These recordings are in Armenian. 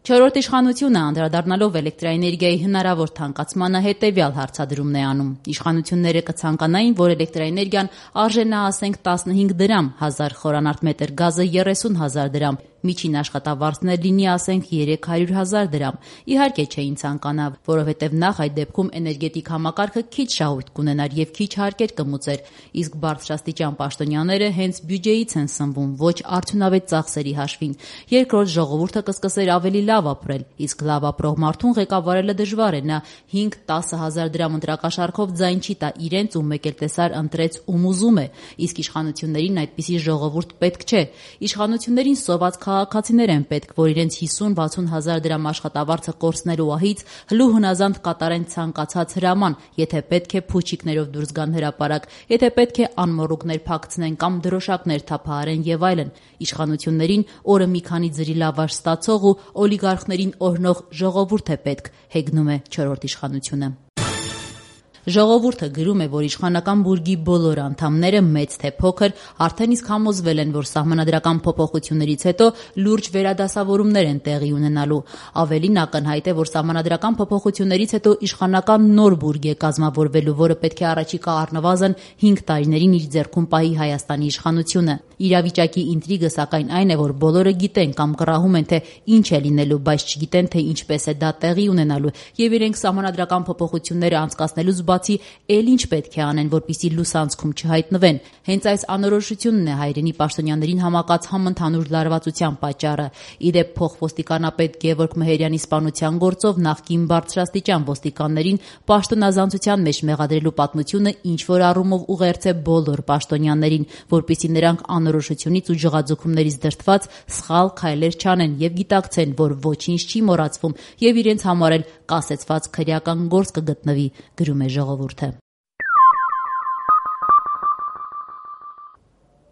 Չորրորդ իշխանությունը անդրադառնալով էլեկտրաէներգիայի հնարավոր թանկացմանը հետևյալ հարցադրումն է անում. իշխանությունները կցանկանային, որ էլեկտրաէներգիան արժենա ասենք 15 դրամ, 1000 խորանարդ մետր գազը 30,000 դրամ, միջին աշխատավարձն լինի ասենք 300,000 դրամ։ Իհարկե չէին ցանկանա, որովհետև նախ այդ դեպքում էներգետիկ համակարգը քիչ շահույթ կունենար եւ քիչ հարկեր կմուծեր, իսկ բարձրաստիճան պաշտոնյաները հենց բյուջեից են սնվում, ոչ արդյունավետ ծախսերի հաշվին։ Երկրորդ, ժողովուրդը կսկսեր ավելի լավ ապրել, իսկ լավ ապրող մարդուն ղեկավարելը դժվար է, նա 5-10,000 դրամ ընտրակաշառքով ձայն չի տա իրենց ու մեկ էլ տեսար ընտրեց ում ուզում է, իսկ իշխանություններին այդպիսի ժողովուրդ պետք չէ։ Իշխանություններին սոված քաղաքացիներ են պետք, որ իրենց 50-60,000 դրամ աշխատավարձը կորցնելու ահից հլու հնազանդ կատարեն ցանկացած հրաման, եթե պետք է փուչիկներով դուրս գան հրապարակ, եթե պետք է անմոռուկներ փակցնեն կամ դրոշակներ թափահարեն եւ այլն։ Իշխանություններին օրը մի քանի ձրի լավաշ ստացող ու օլիգարխներին օրհնող ժողովուրդ է պետք, հեգնում է չորրորդ իշխանությունը։ Ժողովուրդը գրում է, որ իշխանական բուրգի բոլոր անդամները, մեծ թե փոքր, արդեն իսկ համոզվել են, որ սահմանադրական փոփոխություններից հետո լուրջ վերադասավորումներ են տեղի ունենալու։ Ավելին ակնհայտ է, որ սահմանադրական փոփոխություններից հետո իշխանական նոր բուրգ է կազմավորվելու, որը պետք է առաջիկա առնվազն 5 տարիներին իր ձեռքում պահի Հայաստանի իշխանությունը։ Իրավիճակի ինտրիգը սակայն այն է, որ բոլորը գիտեն կամ կռահում են, թե ինչ է լինելու, բայց չգիտեն, թե ինչպես է դա տեղի ունենալու, եւ իրենք սահմանադրական փոփոխությունները անցկացնելուց բացի էլ ինչ պետք է անեն, որպեսզի լուսանցքում չհայտնվեն։ Հենց այս անորոշությունն է հայրենի պաշտոնյաներին համակած համընդհանուր լարվածության պատճառը։ Իդեպ փոխոստիկանապետ Գևորգ Մեհերյանի սպանության գործով նախկին բարձրաստիճան ոստիկաններին պաշտոնազանցության մեջ մեղադրելու պատմությունը ինչ-որ առումով ուղերձ է բոլոր պաշտոնյաներին, որպեսզի նրանք անորոշությունից ու ջղաձգումներից դրդված սխալ քայլեր չանեն եւ գիտակցեն, որ ոչինչ չի մոռացվում եւ իրենց համար էլ կասեցված քրեական գործ կգտնվի, գրում է ժողովուրդը։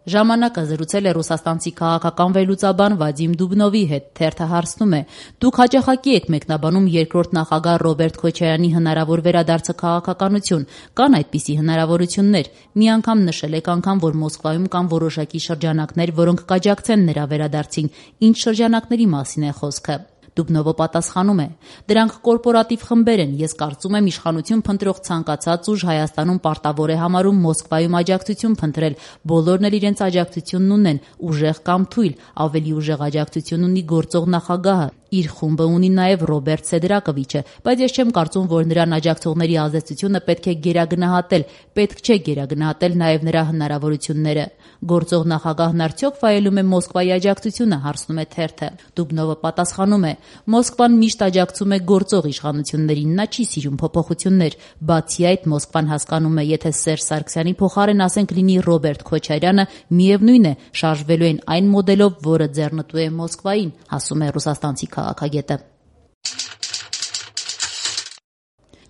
Ժամանակը զրուցել է ռուսաստանցի քաղաքական վերլուծաբան Վադիմ Դուբնովի հետ, թերթը հարցնում է. դուք հաճախակի եք մեկնաբանում երկրորդ նախագահ Ռոբերտ Քոչարյանի հնարավոր վերադարձը քաղաքականություն, կան այդպիսի հնարավորություններ, մի անգամ նշել եք անգամ, որ Մոսկվայում կան որոշակի շրջանակներ, որոնք կաջակցեն նրա վերադարձին, ինչ շրջանակների մասին է խոսքը։ Դուբնովը պատասխանում է. դրանք կորպորատիվ խմբեր են, ես կարծում եմ իշխանություն փնտրող ցանկացած ուժ Հայաստանում պարտավոր է համարում Մոսկվայում աջակցություն փնտրել, բոլորն էլ իրենց աջակցությունն ունեն, ուժեղ կամ թույլ, ավելի ուժեղ աջակցություն ունի գործող նախագահը, իր խումբը ունի նաև Ռոբերտ Սեդրակովիչը, բայց ես չեմ կարծում, որ նրան աջակցողների ազդեցությունը պետք է գերագնահատել, պետք չէ գերագնահատել նաև նրա հնարավորությունները։ Գործող նախագահն արդյոք վայելում է Մոսկվայի աջակցությունը, հարցնում է թերթը։ Դուբնովը պատասխանում է. Մոսկվան միշտ աջակցում է գործող իշխանություններին, նա չի սիրում փոփոխություններ, բացի այդ Մոսկվան հասկանում է, եթե Սերժ Սարգսյանի փոխարեն ասենք լինի Ռոբերտ Քոչարյանը, միևնույն է, շարժվելու են այն մոդելով, որը ձեռնտու է Մոսկվային, ասում է ռուսաստանցի քաղաքագետը։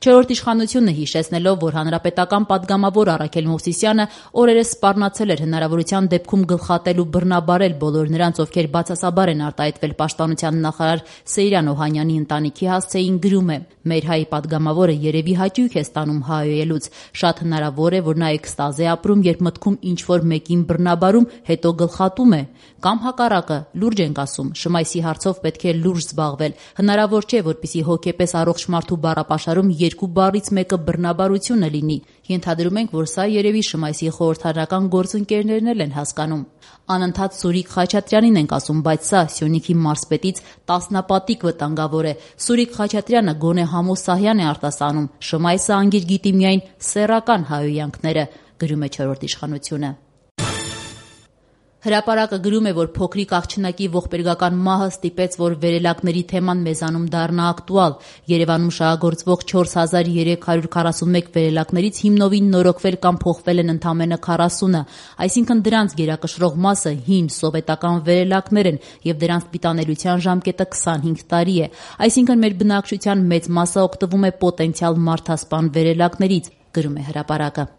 Չորրորդ իշխանությունը հիշեցնելով, որ հանրապետական պատգամավոր Առաքել Մովսիսյանը օրերս սպառնացել էր հնարավորության դեպքում գլխատել ու բռնաբարել բոլոր նրանց, ովքեր բացասաբար են արտահայտվել պաշտպանության նախարար Սեյրան Օհանյանի ընտանիքի հասցեին, գրում է. մեր հայ պատգամավորը երևի հաճույք է ստանում հայոյելուց, շատ հնարավոր է, որ նա էքստազ է ապրում, երբ մտքում ինչ-որ մեկին բռնաբարում, հետո գլխատում է, կամ հակառակը, լուրջ ենք ասում, Շմայսի հարցով պետք է լուրջ զբաղվել, հնարավոր չէ, որպեսզի հոգեպես առողջ մարդու բառապաշարում երկու բառից մեկը բռնաբարությունը լինի։ Ենթադրում ենք, որ սա երևի Շմայսի խորհրդարանական գործընկերներն էլ են հասկանում։ Անընդհատ Սուրիկ Խաչատրյանին ենք ասում, բայց սա Սյունիքի մարզպետից տասնապատիկ վտանգավոր է։ Սուրիկ Խաչատրյանը գոնե Համոս Սահյան է արտասանում, Շմայսը անգիր գիտի միայն սեռական հայոյանքները, գրում է չորրորդ իշխանությունը։ Հրապարակը գրում է, որ փոքրիկ աղջնակի ողբերգական մահը ստիպեց, որ վերելակների թեման մեզանում դառնա ակտուալ։ Երևանում շահագործվող 4341 վերելակներից հիմնովին նորոգվել կամ փոխվել են ընդամենը 40-ը, այսինքն դրանց գերակշռող մասը հին սովետական վերելակներ են եւ դրանց պիտանելիության ժամկետը 25 տարի է։ Այսինքն մեր բնակչության մեծ մասը օգտվում է պոտենցիալ մարդասպան վերելակներից, գրում է հրապարակը։